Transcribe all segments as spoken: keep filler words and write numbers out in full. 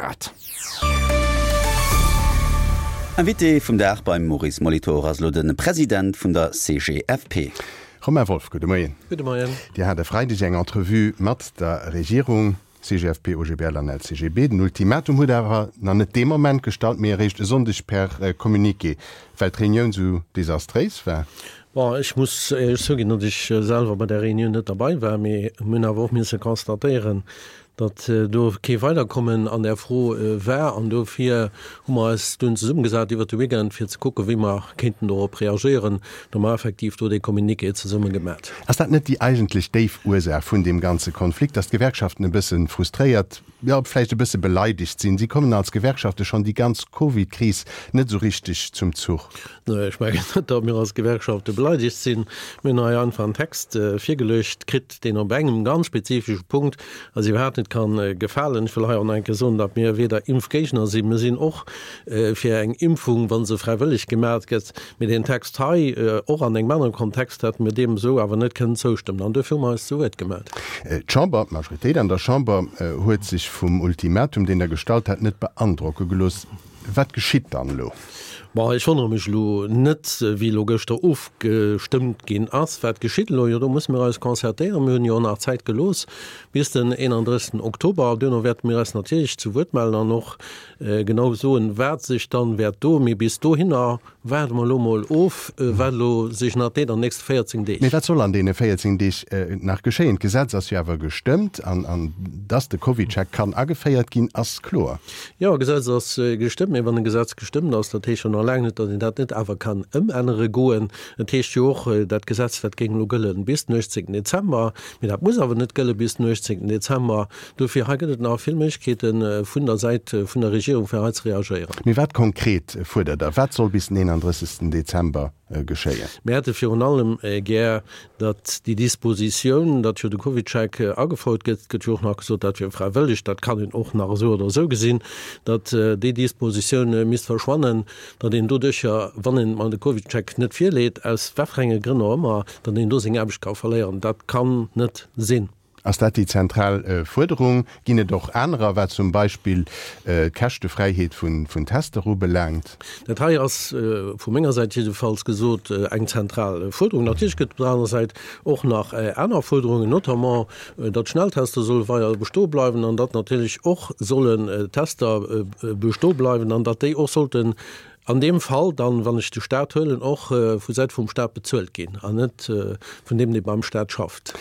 Grad. Invité vum Dag beim Maurice Molitor ass elo de President vun der C G F P. Romain Wolff, gudde Moien. Gudde Moien. Dir hat e Freideg eng Entrevue mat der Regierung, C G F P, O G B L an L C G B. Den Ultimatum hutt der awer nach net dee Moment gestallt, mee eréischt e Sonndeg per Communiqué, well d'Reunioun sou desastréis war. Bon, ech muss éierlech zouginn, datt ech selwer bei där Reunioun net derbei war, mee mir hunn awer och misse constatéieren, datt do kee Weiderkommen an där Fro war. An dofir hu mer eis dunn zesummegesat iwwert de Weekend, fir ze kucken, wéi mer kéinten dorop reagéieren. Do hu mer effektiv do dee Communiqué zesumme gemat. Ass dat net déi eigentlech déif Ursaach vun deem ganze Konflikt, datt d'Gewerkschaften e bësse frustréiert, jo vläicht e bësse beleidegt sinn? Si kommen als Gewerkschafte schonn déi ganz Covid-Kris net esou richteg zum Zuch. Nee, ech mengen net, datt mir als Gewerkschafte beleidegt sinn. Mir hunn hei einfach en Text virgeluecht kritt, deen op engem ganz spezifesche Punkt eis iwwerhaapt net kann gefalen. Ech wëll hei och nach eng Kéier soen, datt mir weder Impfgéigner sinn, mir sinn och fir eng Impfung, wa se fräiwëlleg gemat gëtt. Mee deen Text hei, och an engem anere Kontext, hätte mir deem esou awer net kënnen zoustëmmen. An duerfir hu mer eis zu Wuert gemellt. D'Chamber, d'Majoritéit an der Chamber huet sech vum Ultimatum, deen Der gestallt hat, net beandrocke gelooss. Wat geschitt dann elo? Bon, ech wonnere mech elo net, wéi elo gëschter ofgestëmmt ginn ass. Wat geschitt elo? Jo, do musse mir eis concertéieren. Mir hunn jo och nach Zäit gelooss bis den eenandrëssegsten Oktober. Duerno wäerte mir eis natierlech zu Wuert mellen an och genau soen, wat sech dann wäert doen. Mee bis dohinner waarde mer elo mol of, wat elo sech nach deet an den nächste véierzéng Deeg. Mee wat soll an deene véierzéng Deeg nach geschéien? D'Gesetz ass jo awer gestëmmt an, an dass de CovidCheck kann ageféiert ginn, ass kloer. Jo, Gesetz ass gestëmmt. Mee wann e Gesetz gestëmmt ass, dat heescht jo nach laang net, datt een dat net awer kann ëmännere goen. Et heescht jo och, dat Gesetz, dat géing elo gëllen bis den uechtzéngten Dezember. Mee dat muss awer net gëlle bis den uechtzéngten Dezember. Dofir, hei gëtt et nach vill Méiglechkeete vun der Säit vun der Regierung, fir hei ze reagéieren. Mee wat konkret fuerdert Der? Wat soll bis den eenandrëssegsten Dezember geschéien? Mir hätte virun allem gär, datt déi Dispositioun, datt jo de CovidCheck agefouert gëtt, et gëtt jo och nach gesot, dat wier fräiwëlleg, dat kann een och nach esou oder esou gesinn, datt déi Dispositioun misst verschwannen, datt een doduercher, wann een de CovidCheck net virleet, aus wat fir enge Grënn och ëmmer, datt een do seng Aarbecht ka verléieren. Dat kann net sinn. Ass dat déi zentral Fuerderung? Ginn et och anerer, wat zum Beispill d'Käschtefräiheet vun Tester ubelaangt? Dat hei ass, vu menger Säit jiddefalls gesot, eng zentral Fuerderung. Natierlech gëtt et op der anerer Säit och nach aner Fuerderungen, notamment datt d'Schnelltester solle weider bestoe bleiwen an datt natierlech och sollen Tester bestoe bleiwen an datt déi och sollten an deem Fall dann, wann ech de Stat huelen, och vu Säit vum Stat bezuelt ginn an net vun deem, dee beim Stat schafft.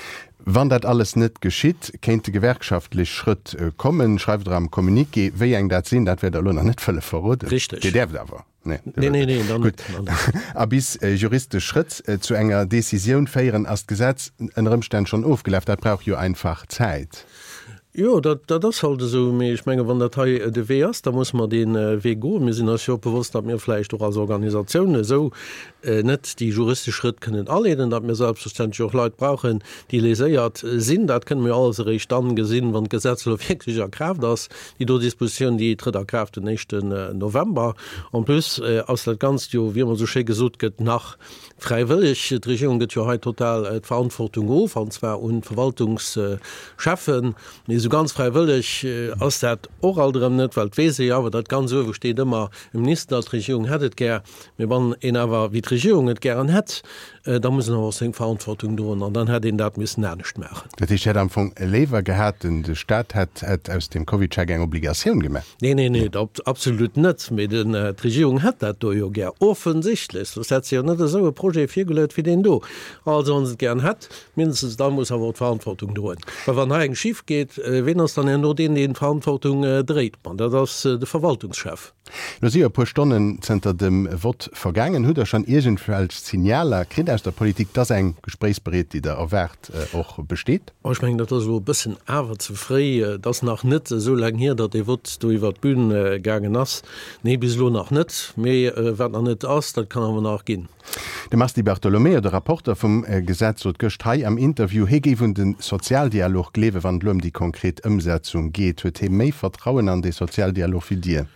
Wann dat alles net geschitt, kéinte gewerkschaftlech Schrëtt kommen, schreift Der am Communiqué. Wéi eng dat sinn, dat wäert Der elo nach net wëlle verroden. Richteg. Dir däerft awer. Nee, nee, nee, nee, dann net. Gutt. A bis juristesch Schrëtt zu enger Decisioun féieren, ass d'Gesetz ënner Ëmstänn schonn ofgelaf. Dat brauch jo einfach Zäit. Jo, dat, dat ass halt esou. Mee ech menge wann dat hei de Wee ass, da musse mer dee Wee goen. Mir sinn eis jo och bewosst, datt mir vläicht och als Organisatioun esou net déi juristesch Schrëtt kënnen aleeden, datt mir selbstverständlech och Leit brauchen, déi léséiert sinn. Dat kënne mir alles eréischt dann gesinn, wann d'Gesetz elo wierklech a Kraaft ass. Déi do Dispositioun, déi trëtt a Kraaft den éischten November. En plus ass dat Ganzt jo, wéi ëmmer esou schéi gesot gëtt, nach fräiwëlleg. D'Regierung gëtt jo hei total d'Verantwortung of, an zwar un d'Verwaltungscheffen. Mee esou ganz fräiwëlleg ass dat och alt erëm net, well et weess ee jo awer, datt ganz uewe steet ëmmer e Minister, d'Regierung hätt et gär. Mee wann een awer wéi d'Regierung et gären hätt, da muss en awer och seng Verantwortung droen an dann hätt een dat missen anescht maachen. Dat heescht, Dir hätt am Fong léiwer gehat, de Staat hätt aus dem CovidCheck eng Obligatioun gemaach? Nee, nee, nee, absolut net. Mee d'Regierung hätt dat do jo gär, offensichtlech, soss hätt se jo net esou e Projet virgeluet wéi deen do. Also, wa se et gären hätt, mindestens da muss awer och d'Verantwortung droen. Well wann hei eng schif geet, ween ass dann herno deen, deen d'Verantwortung dréit? Ma dat ass de Verwaltungschef. Lo si jo e puer Stonnen zënter dem Vott vergaangen. Hutt Der schonn iergendwelch Signaler kritt aus der Politik, dass eng Gespréichsbereet, déi Der erwaart, och besteet? Oh, ech mengen, dat ass elo e bëssen awer ze fréi. Et ass nach net esou laang hier, datt dee Vott do iwwert d'Bün gaangen ass. Nee, bis elo nach net. Mee wat nach net ass, dat kann awer nach ginn. De Mars Di Bartolomeo, de Rapporter vum Gesetz, sot gëscht hei am Interview, hie géif un de Sozialdialog gleewen, wann et elo ëm déi konkret Ëmsetzung geet. Huet hie méi Vertrauen an dee Sozialdialog wéi Dir?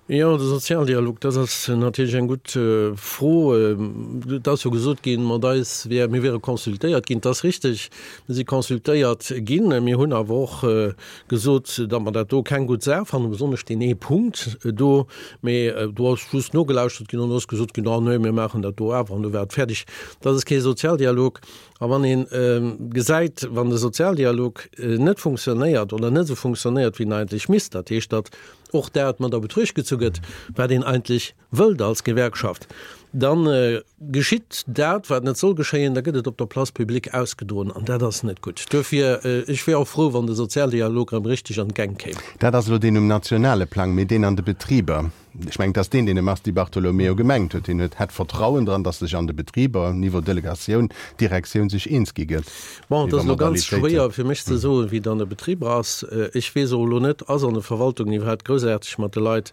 Jo, de Sozialdialog, dat ass natierlech eng gutt Fro. Et ass jo gesot ginn, mat eis wär, mir wiere consultéiert ginn. Et ass richteg, mir si consultéiert ginn. Mir hunn awer och gesot, datt mer dat do keng gutt Saach fannen, besonnesch deen ee Punkt do. Mee do ass just nogelauschtert ginn an do ass gesot ginn, Ah nee, mir maachen dat do awer an du war et fäerdeg. Dat ass kee Sozialdialog. A wann ee gesäit, wann de Sozialdialog net funktionéiert oder net esou funktionéiert, wéi en eigentlech misst, dat heescht, datt och dat mat a Betruecht gezu gëtt, wat een eigentlech wëllt als Gewerkschaft, da geschitt dat, wat net soll geschéien, da gëtt et op der Place publique ausgedroen an dat ass net gutt. Duerfir, ech wier och frou, wann de Sozialdialog erëm richteg an d'Gäng kéim. Dat ass elo deen um nationale Plang, mee deen an de Betriber, ech mengen, et ass deen, deen de Mars Di Bartolomeo gemengt huet. Hien huet, hätt Vertrauen dran, datt sech an de Betriber, Niveau Delegatioun, Direktioun, sech eens gi gëtt Bon, et ass elo ganz schwéier fir mech ze soen, wéi et an de Betriber ass. Ech weess och elo net, ass an de Verwaltungen iwwerhaapt groussaarteg mat de Leit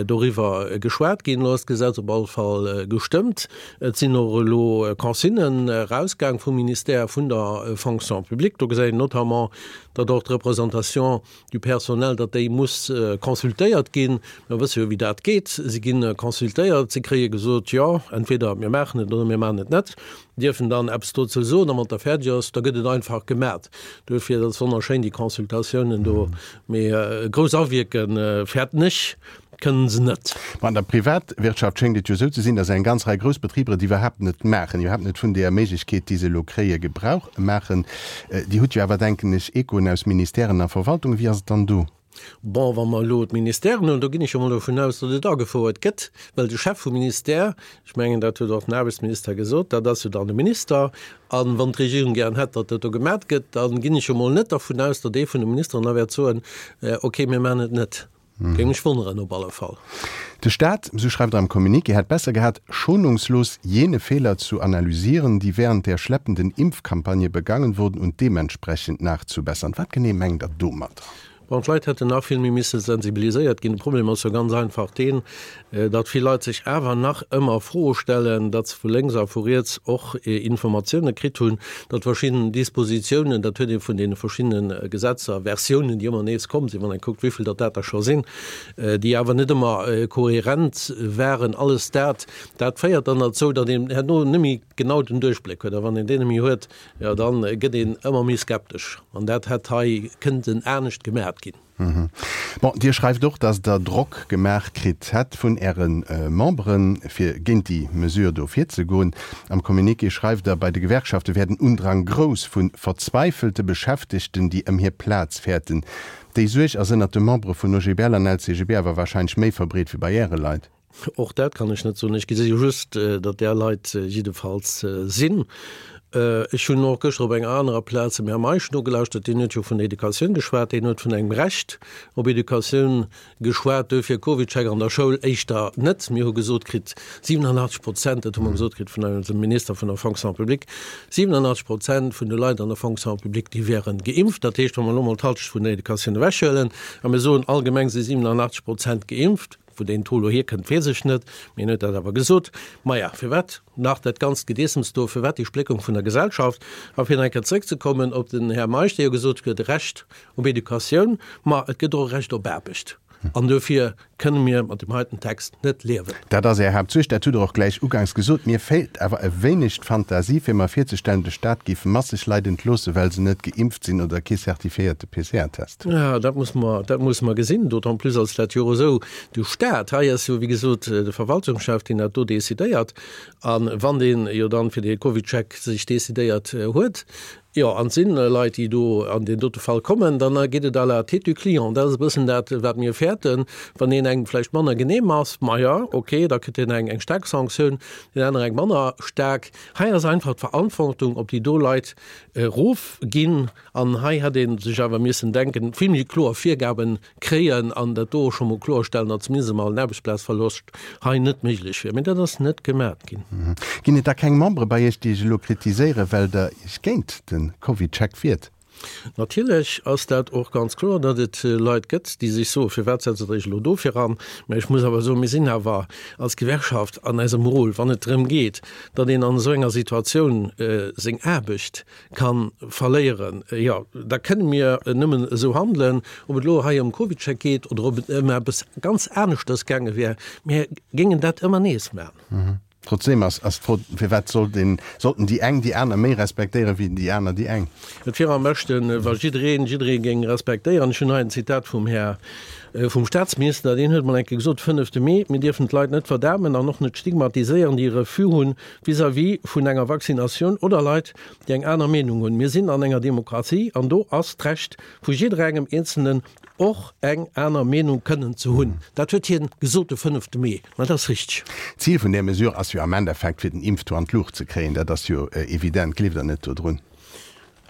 doriwwer geschwat ginn? Elo ass d'Gesetz op alle Fall gestëmmt. Et sinn och elo Consignen erausgaang vum Ministère vun der Fonction publique. Do gesäit een notamment, datt och d'Représentation du personnel, datt déi muss consultéiert ginn. Mir wësse jo, wéi dat geet. Si gi consultéiert, si kréie gesot, jo, entweder mir maachen et oder mir maachen et net, dierfen dann eppes dozou soen a wann et da fäerdeg ass, da gëtt et einfach gemat. Duerfir, dat ass wonnerschéin, déi Consultatiounen do, mee grouss awierke fäerten ech, kënnen se net. Ma an der Privatwirtschaft schéngt et jo esou ze sinn, datt eng ganz Rei grouss Betriber et iwwerhaapt net maachen, iwwerhaapt net vun deeër Méiglechkeet, déi se elo kréien, Gebrauch maachen. Dir hutt jo awer, denken ech, Echoen aus Ministèren a Verwaltungen. Wéi ass et dann do? Bon, wa mer elo d'Ministèren hunn, do ginn ech jo mol dovun aus, datt et agefouert gëtt, well de Chef vum Ministère, ech mengen, dat huet och den Aarbechtsminister gesot, dat ass jo dann de Minister, a wann d'Regierung gären hätt, datt dat do gemat gëtt, da ginn ech jo mol net dervun aus, datt ee vun de Ministeren da wäert soen, Okay, mir maachen et net. Géing mech wonneren op alle Fall. De Staat, sou schreift Der am Communiqué, hätt besser gehat, schonungslos jene Fehler zu analysieren, die während der schleppenden Impfkampagne begangen wurden und dementsprechend nachzubessern. Wat genee mengt Der domadder? Bon, d'Leit hätten nach vill méi misse sensibiliséiert ginn. De Problem ass jo ganz einfach deen, datt vill Leit sech awer nach ëmmer Froe stellen, datt se vu lénks a vu riets och Informatioune kritt hunn, datt verschidden Dispositiounen, dat huet ee vun deene verschiddene Gesetzer, Versiounen, déi ëmmer nees komm sinn, wann ee kuckt, wéi vill datt dat der scho sinn, déi awer net ëmmer kohärent waren, alles dat, dat féiert dann derzou, datt een herno net méi genau den Duerchbléck huet. A wann een deen net méi huet, jo dann gëtt een ëmmer méi skeptesch. An dat hätt hei kënnten anescht gemat ginn. Bon, Dir schreift och, datt Der Drock gemaach kritt hätt vun Äre Memberen, fir géint déi Mesure do virzegoen. Am Communiqué schreift Der, bei de Gewerkschafte wär den Undrang grouss vu verzweifelte Beschäftegten, déi ëm hir Plaz fäerten. Déi Suerg ass ënnert de Membere vun O G B L an L C G B awer warscheinlech méi verbreet wéi bei Äre Leit. Och dat kann ech net soen. Ech gesi jo just, datt där Leit jiddefalls sinn. Ech hunn och gëschter op enger anerer Plaz dem Här Meisch nogelauschtert, deen huet jo vun der Educatioun geschwat, deen huet vun engem Recht op Educatioun geschwat, duerfir CovidCheck an der Schoul éischter net. Mir hu gesot kritt, siwenanachtzeg Prozent, dat hu mer gesot kritt vun eisem Minister vun der Fonction publique, siwenanachtzeg Prozent vun de Leit an der Fonction publique, déi wären geimpft. Dat heescht, wa mer elo mol d'Halschent vun der Educatioun ewechhuelen a mir soen, allgemeng si siwenanachtzeg Prozent geimpft, Wou deen Taux elo hierkënnt, weess ech net, mee en huet dat awer gesot. Maja, firwat nach dat ganzt Gedeessems do? Firwat déi Spléckung vun der Gesellschaft? A fir nach eng Kéier zrëckzekommen op den Här Meisch, dee jo gesot huet, Recht op Educatioun, ma et gëtt och e Recht op Aarbecht. An dofir kënne mir mat deem heiten Text net liewen. Dat ass Är Haaptsuerg, dat hutt Der och gläich uganks gesot. Mir feelt awer e wéineg d'Fantasie, fir mer virzestellen, de Staat géif masseg Leit entloossen, well se net geimpft sinn oder kee certifiéierte P C R-Test hunn. Jo, dat muss mer, dat musse mer gesinn, d'autant plus als dat jo och esou de Staat, hei ass jo wéi gesot de Verwaltungschef, deen dat do decidéiert, a wann deen jo dann fir dee CovidCheck sech decidéiert huet, jo, an et si Leit, déi do an deen dote Fall kommen, dann geet et à la tête du client. Dat ass e bëssen dat, wat mir fäerten. Wann een engem vläicht manner genehm ass, maja, okay, da kritt deen eng eng staark Sanktioun, deen anere eng manner staark. Hei ass einfach d'Verantwortung op déi do Leit erofginn. An hei hätt ee sech awer missen denken, vill méi kloer Virgabe kréien an dat do och scho mol kloerstellen, datt zumindest emol en Aarbechtsplazverloscht hei net méiglech wier. Mee dat ass net gemat ginn. Ginn et da keng Membere bei Iech, déi Iech elo kritiséieren, well Der Iech géint de CovidCheck wiert? Natierlech ass dat och ganz kloer, datt et Leit gëtt, déi sech soen, Firwat setzt Der Iech elo dofir an? Mä ech muss awer soen, mir sinn awer als Gewerkschaft an eisem Rôle, wann et drëm geet, datt een an esou enger Situatioun seng Aarbecht ka verléieren, jo, da kënne mir nëmmen esou handelen. Ob et elo hei ëm CovidCheck geet oder ob et ëm eppes ganz aneschters gaange wär, mir géingen dat ëmmer nees maachen. Trotzdem ass ass d'Fro, firwat sollt een, sollten déi eng déi aner méi respektéieren, wéi déi aner déi eng? Et wier am beschten, wa jiddereen jidderee géing respektéieren. Ech hunn hei en Zitat vum Här, vum Staatsminister, deen huet mol eng Kéier gesot, fënnefte Mee, Mir dierfen d'Leit net verdamen an och net stigmatiséieren, déi e Refus hunn vis-à-vis vun enger Vaccinatioun oder Leit, déi eng aner Meenung hunn. Mir sinn an enger Demokratie an do ass d'Recht vu jidderengem Eenzelnen, och eng aner Meenung kënnen ze hunn. Dat huet hien gesot de fënnefte Mee. Mä dat ass richteg. D'Zil vun där Mesure ass jo am Endeffekt, fir den Impftaux an d'Luucht ze kréien. Dat ass jo evident. Gleeft Der net dodrun?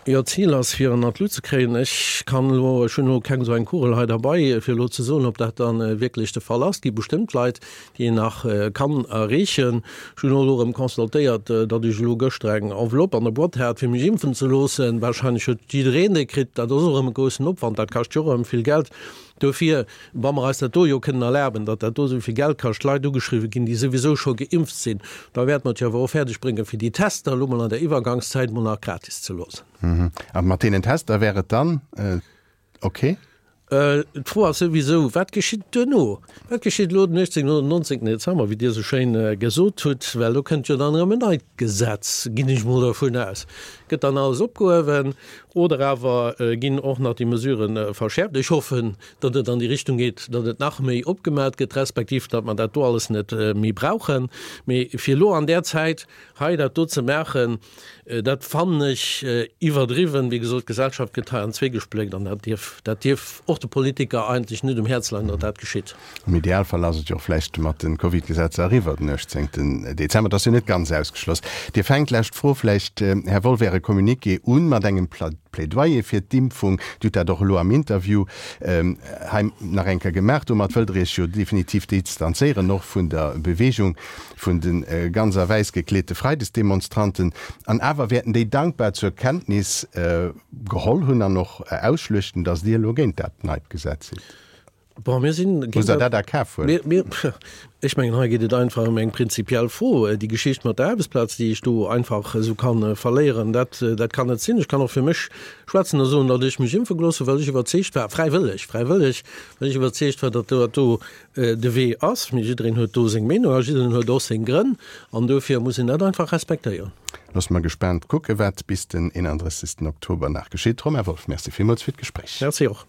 Jo, d'Zil ass, fir en an d'Lut ze kréien. Ech kann elo, ech hunn elo keng esou eng Kugel hei derbei, fir elo ze soen, ob dat da wierklech de Fall ass. Et gi bestëmmt Leit, déi een nach kann erreechen. Ech hunn och elo erëm constatéiert, datt ech elo gëschter eng Enveloppe an der Boîte hat, fir mech impfen ze loossen. Wahrscheinlech huet jiddereen déi kritt. Dat ass och erëm e groussen Opwand, dat kascht jo och erëm vill Geld. Dofir, wa mer eis dat do jo kënnen erlaben, datt dat do esou vill Geld kascht, Leit ugeschriwwen ginn, déi souwisou scho geimpft sinn, da wäerte mer et jo awer och fäerdeg bréngen, fir déi Tester elo mol an der Iwwergangszäit mol nach gratis ze loossen. A mat deenen Tester wär et dann ok? D'Fro ass souwisou, Wat geschitt duerno? Wat geschitt elo den uechtzéngten oder den nonzéngten Dezember, wéi Dir esou schéin gesot hutt? Well do kënnt jo dann erëm en neit Gesetz, ginn ech mol dervun aus. Gëtt dann alles opgehuewen oder awer ginn och nach déi Mesurë verschäerft? Ech hoffen, datt et an déi Richtung geet, datt et nach méi opgemat gëtt, respektiv datt mer dat do alles net méi brauchen. Mee fir elo an där Zäit hei dat do ze maachen, dat fannen ech iwwerdriwwen. Wéi gesot, d'Gesellschaft gëtt hei an zwee gespléckt an dat dierf, dat dierf och de Politiker eigentlech net um Häerz leien, datt dat geschitt. Am Idealfall ass et jo och vläicht mat de Covid-Gesetzer eriwwer den uechtzéngten Dezember. Dat ass jo net ganz ausgeschloss. Dir fänkt, lescht Fro vläicht, Här Wolff, Äre Communiqué un mat engem Plädoyer fir d'Impfung. Dir hutt dat och elo am Interview hei nach eng Kéier gemaach. Domat wëllt Der Iech jo definitiv distanzéieren och vun der Bewegung vun de ganz a wäiss gekleete Freidesdemonstranten. An awer wäerten déi dankbar zur Kenntnis geholl hunn an och ausschluechten, datt Dir elo géint dat neit Gesetz sidd. Bon, mir sinn Musst Der dat a Kaf huelen? Mir, mir, ech mengen, hei geet et einfach ëm eng prinzipiell Fro. Déi Geschicht mat der Aarbechtsplaz, déi ech do einfach esou kann verléieren, dat, dat kann net sinn. Ech kann och fir mech schwätzen a soen, datt ech mech impfe gelooss hunn, well ech iwwerzeegt war, fräiwëlleg, fräiwëlleg, well ech iwwerzeegt war, datt dat do de Wee ass. Mee jiddereen huet do seng Meenung a jiddereen huet och seng Grënn an dofir muss een dat einfach respektéieren. Loosse mer gespaant kucken, wat bis den eenandrëssegsten Oktober nach geschitt. Romain Wolff, Merci villmools fir d'Gespréich. Merci och.